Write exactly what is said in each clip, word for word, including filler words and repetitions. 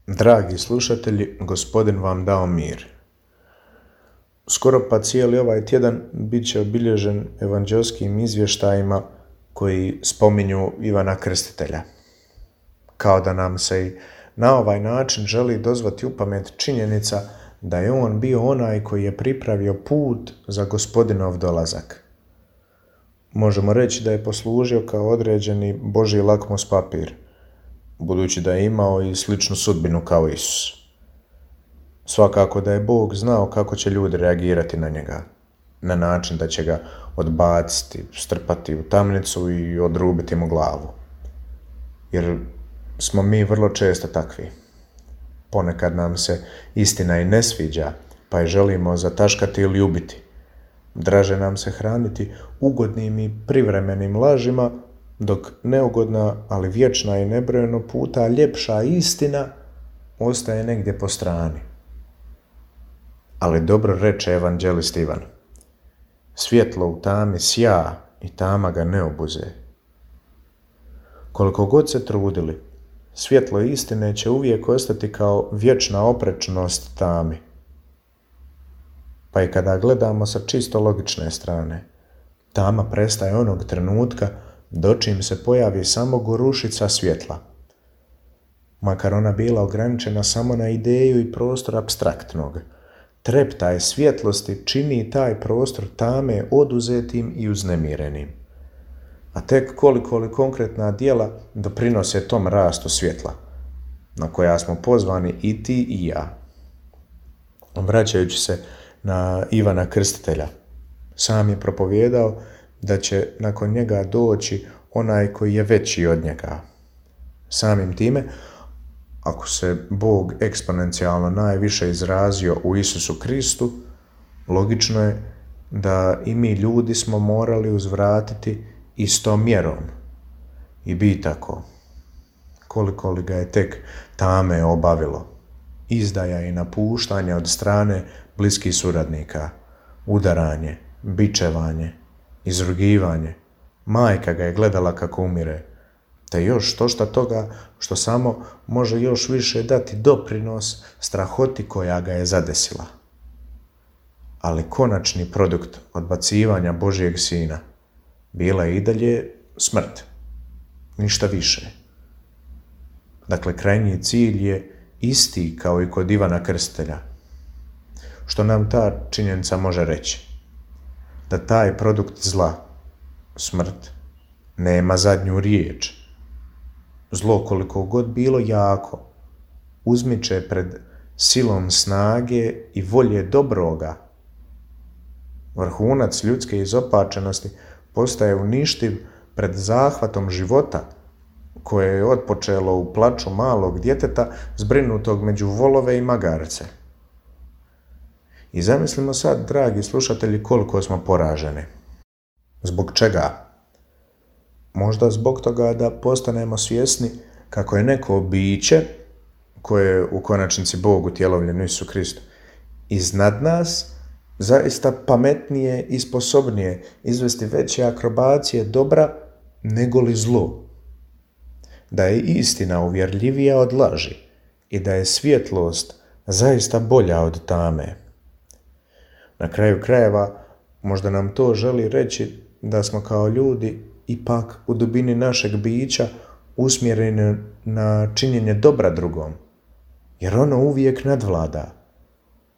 Dragi slušatelji, Gospodin vam dao mir. Skoro pa cijeli ovaj tjedan bit će obilježen evanđelskim izvještajima koji spominju Ivana Krstitelja. Kao da nam se i na ovaj način želi dozvati u pamet činjenica da je on bio onaj koji je pripravio put za Gospodinov dolazak. Možemo reći da je poslužio kao određeni Božji lakmus papir, budući da je imao i sličnu sudbinu kao Isus. Svakako da je Bog znao kako će ljudi reagirati na njega, na način da će ga odbaciti, strpati u tamnicu i odrubiti mu glavu. Jer smo mi vrlo često takvi. Ponekad nam se istina i ne sviđa, pa je želimo zataškati ili ubiti. Draže nam se hraniti ugodnim i privremenim lažima, dok neugodna, ali vječna i nebrojeno puta ljepša istina ostaje negdje po strani. Ali dobro reče evanđelist Ivan: svjetlo u tami sja i tama ga ne obuze. Koliko god se trudili, svjetlo istine će uvijek ostati kao vječna oprečnost tami. Pa i kada gledamo sa čisto logične strane, tama prestaje onog trenutka dočim se pojavi samo gorušica svjetla. Makar ona bila ograničena samo na ideju i prostor apstraktnog, treptaj svjetlosti čini taj prostor tame oduzetim i uznemirenim. A tek koliko li konkretna djela doprinose tom rastu svjetla, na koja smo pozvani i ti i ja. Vraćajući se na Ivana Krstitelja, sam je propovijedao da će nakon njega doći onaj koji je veći od njega. Samim time, ako se Bog eksponencijalno najviše izrazio u Isusu Kristu, logično je da i mi ljudi smo morali uzvratiti istom mjerom i biti tako. Koliko li ga je tek tame obavilo, izdaja i napuštanja od strane bliskih suradnika, udaranje, bičevanje, izrugivanje, majka ga je gledala kako umire, te još štošta toga što samo može još više dati doprinos strahoti koja ga je zadesila. Ali konačni produkt odbacivanja Božjeg Sina bila je i dalje smrt, ništa više. Dakle, krajnji cilj je isti kao i kod Ivana Krstitelja. Što nam ta činjenica može reći? Da taj produkt zla, smrt, nema zadnju riječ. Zlo, koliko god bilo jako, uzmiče pred silom snage i volje dobroga. Vrhunac ljudske izopačenosti postaje uništiv pred zahvatom života, koje je otpočelo u plaču malog djeteta zbrinutog među volove i magarce. I zamislimo sad, dragi slušatelji, koliko smo poraženi. Zbog čega? Možda zbog toga da postanemo svjesni kako je neko biće, koje je u konačnici Bog utjelovljen u Isusu Kristu, iznad nas, zaista pametnije i sposobnije izvesti veće akrobacije dobra nego li zlo. Da je istina uvjerljivija od laži i da je svjetlost zaista bolja od tame. Na kraju krajeva, možda nam to želi reći da smo kao ljudi ipak u dubini našeg bića usmjereni na činjenje dobra drugom, jer ono uvijek nadvlada.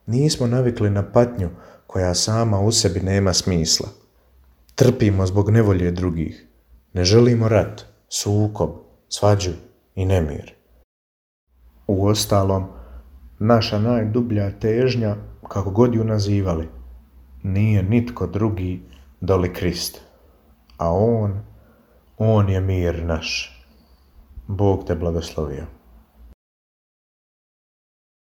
Nismo navikli na patnju koja sama u sebi nema smisla. Trpimo zbog nevolje drugih. Ne želimo rat, sukob, svađu i nemir. Uostalom, naša najdublja težnja, kako god ju nazivali, nije nitko drugi doli Krist, a On, On je mir naš. Bog te blagoslovio.